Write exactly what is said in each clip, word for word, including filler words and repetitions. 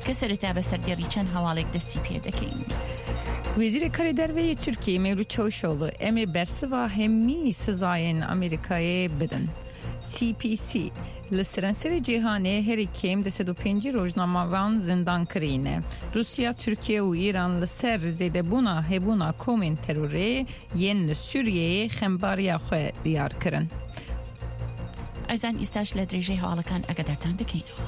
کە سەرەتا بە سەردێڕی چەند هەواڵێک دەستی پێ دەکەین. Wezîrê Karê Derve yê Tirkiyeyê Mevlut Çavuşoğlu em ê bersiva hemî sizayên Amerîkayê bidin. C P C li seranserê cîhanê herî kêm du sed û pêncî rojnamevan zindan kirîne. Rusya, Tirkiye û Îran li ser zêdebûna hebûna komên terorê yên li Sûriyeyê xembariya xwe diyar kirin. ئەزان ئیستاش لە درێژەی هەواڵەکان ئەگەدارتان دەکەینەوە.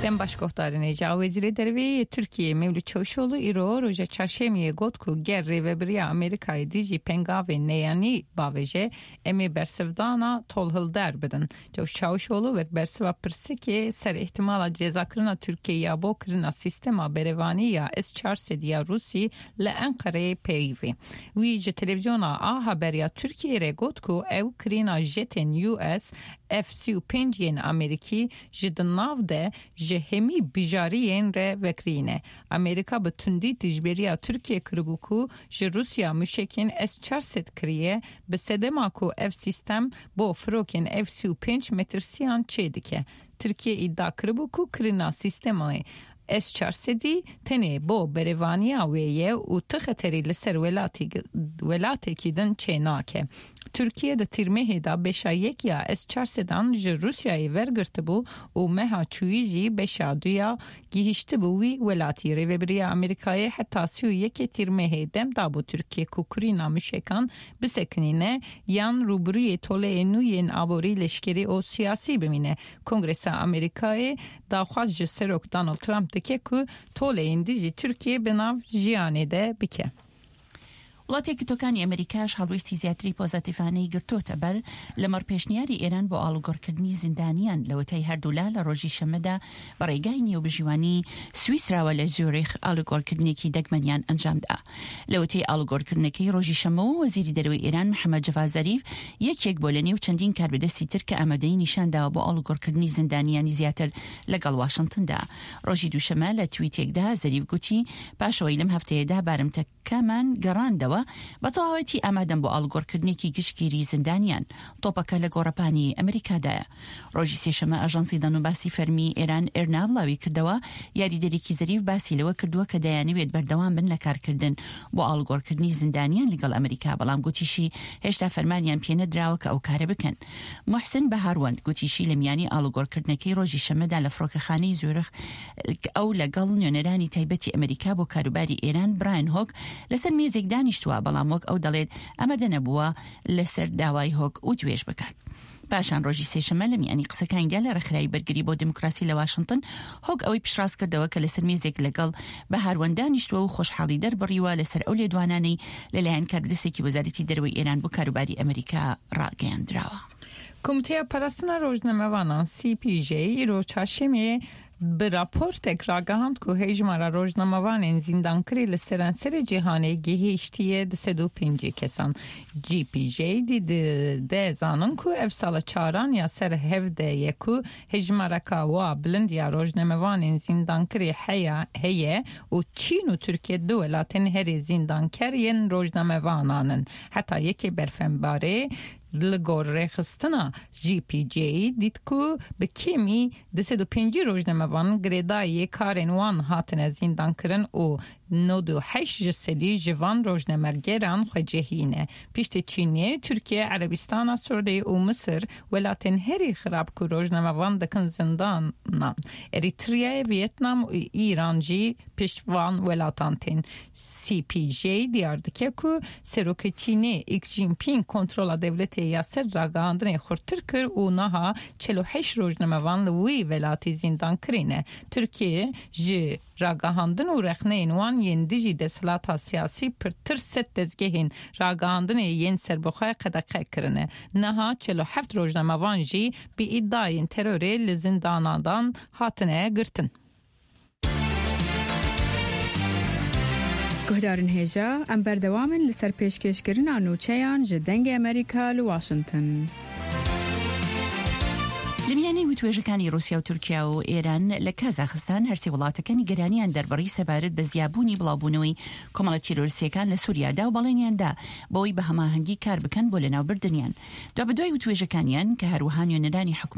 Dem baş guhdarên hêja, Wezîrê Derve yê Tirkiyeyê Mevlut Çavuşoğlu îro roja çarşemiyê got ku ger rêveberiya Amerîkayê dijî pengavên neyanî bavêje em ê bersivdana tolhilder bidin. Çavuşoğlu wek bersiva pirsikê ser ihtimala cezakirina Tirkiyeyê ya bo kirina sîstema berevanî ya S çar sed ya Rûsî li Enqereyê peyivî. Wî ji televizyona A Haber ya Tirkiyeyê re got ku ew kirîna jetên U S F sî û pênc yên Amerîkî ji di nav de ji hemî bijariyên re vekirîne. Amerîka bi tundî dijberiya Tirkiye kiribû ku ji Rusya mûşekên S çar sed kiriye bi sedema ku ev sîstem bo firokên F sî û pênc metirsiyan çêdike. Tirkiye îdia kiribû ku kirîna sîstemê S çar sedî tenê bo berevaniya wê ye û ti xeterî li ser welatekî din çênake. Tirkiye di tîrmehê de beşa yek ya S çar sedan ji Rusyayê wergirtibû û meha çûyî jî beşa duya gihîştibû wî welatî. Rêveberiya Amerîkayê heta sî û yekê tîrmehê dem dabû Tirkiye ku kirîna mûşekan bisekinîne yan rûbirûyê toleyên nû yên aborî, leşkerî û siyasî bimîne. Kongresa Amerîkayê daxwaz ji Serok Donald Trump dike ku toleyên dijî Tirkiye bi nav jiyanê de bike. وڵاتە یەکگرتووەکانی ئەمریکاش هەڵوێستی زیاتری پۆزەتیڤانەی گرتۆتە بەر لەمەڕ پێشنیاری ئێران بۆ ئاڵوگۆڕکردنی زیندانیان لەوەتای هەردوولا لە ڕۆژی شەممەدا بە ڕێگای نێوبژیوانی سویسراوە لە زیۆریخ ئاڵوگۆڕکردنێکی دەگمەنیان ئەنجامدا. لەوەتەی ئاڵوگۆڕکردنەکەی ڕۆژی شەممەوە وەزیری دەرەوەی ئێران محەممەد جەڤاد زەریف یەکێک بۆ لە نێو چەندین کاربەدەستی تر کە ئامادەیی نیشانداوە بۆ ئاڵوگۆڕکردنی زیندانیانی زیاتر لەگەڵ واشنگتندا. ڕۆژی دووشەممە لە تویتێکدا زەریف گوتی پاشەوەی لەم هەفتەیەدا بارمتەکەمان گەڕاندەوە بە تەواوەتی ئامادەم بۆ ئاڵوگۆڕکردنێکی گشتگیری زیندانیان. تۆپەکە لە گۆڕەپانی ئەمریکادایە. ڕۆژی سێشەمە ئاژانسی دەنگوباسی فەرمی ئێران ئێرنا بڵاوی کردەوە یاریدەرێکی زەریف باسی لەوە کردووە کە دەیانەوێت بەردەوام بن لە کارکردن بۆ ئاڵوگۆڕکردنی زیندانیان لەگەڵ ئەمریکا، بەڵام گوتیشی هێشتا فەرمانیان پێنەدراوە کە ئەو کارە بکەن. محسن بەهاروەند گوتیشی لە میانی ئاڵوگۆڕکردنەکەی ڕۆژی شەمەدا لە فڕۆکەخانەی زیورخ ئەو لەگەڵ نوێنەرانی تایبەتی ئەمریکا بۆ کاروباری ئێران براین هۆک لەسەر مێزێک دانیشتووە، بەڵام وەک ئەو دەڵێت ئامادە نەبووە لەسەر داوای هۆک وتوێژ بکات. پاشان ڕۆژی سێشەممە لە میانی قسەکانیدا لە ڕێکخراوی بەرگری بۆ دیموکراسی لە واشنگتن هۆک ئەوەی پشتڕاست کردەوە کە لەسەر مێزێک لەگەڵ بەهاروەند دانیشتووە و خۆشحاڵی دەربڕیوە لەسەر ئەو لێدوانانەی لەلایەن کاربەدەستێکی وەزارەتی دەرەوەی ئێران بۆ کاروباری ئەمریکا ڕاگەیاندراوە. Komîteya Parastina Rojnamevanan C P J îro çarşemiyê bi raportek ragihand ku hejmara rojnamevanên zîndankirî li seranserê cîhanê gihîştiye du sed û pêncî kesan. C P J dide zanin ku ev sala çaran ya ser hev de ye ku hejmareka wa bilind ya rojnamevanên zîndankirî heya heye û Çîn û Tirkiye du welatên herî zîndanker yên rojnamevanan in. Heta yekê berfenbarê li gor rêxistina C P J dît ku bi kêmî du sed û pêncî rojnamevan girêdayê karên wan hatine zîndankirin û nod û heşt ji sedî ji van rojnamegeran xwecihî ne. Piştî Çînê, Tirkiye, Erebistana Siûdî û Misir welatên herî xirab ku rojnamevan dikin zindanan. Erîtreya, Vietnam û Îran jî pişt van welatan tên. C P J diyar dike ku Serokê Çînê Xi Jinping kontrola dewletê ya ser ragihandinê xurttir kir û niha çel û heşt rojnamevan li wî welatî zîndan kirîne. Tirkiye ji ragihandin û rexneyên wan yên dijî desthilata siyasî pirtir sed dezgehên ragihandinê yên serbixwe qedexe kirine. Niha çel û heft rojnamevan jî bi îdiayên terorê li zindanan hatine girtin. Guhdarên hêja, em berdewam in li ser pêşkêşkirina nûçeyan ji Dengê Amerîka li Washington. لە میانەی وتوێژەکانی رووسیا و تورکیا و ئێران لە کازاخستان هەرسێ وڵاتەکە نیگەرانیان دەربڕی سەبارەت بە زیابوونی بڵاوبوونەوەی کۆمەڵە تیرۆریستیەکان لە سووریادا و بەڵێنیاندا بەوەی بە هەماهەنگی کار بکەن بۆ لەناوبردنیان. دوابەدوای وتوێژەکانیان کە هەروەها نوێنەرانی حکومەت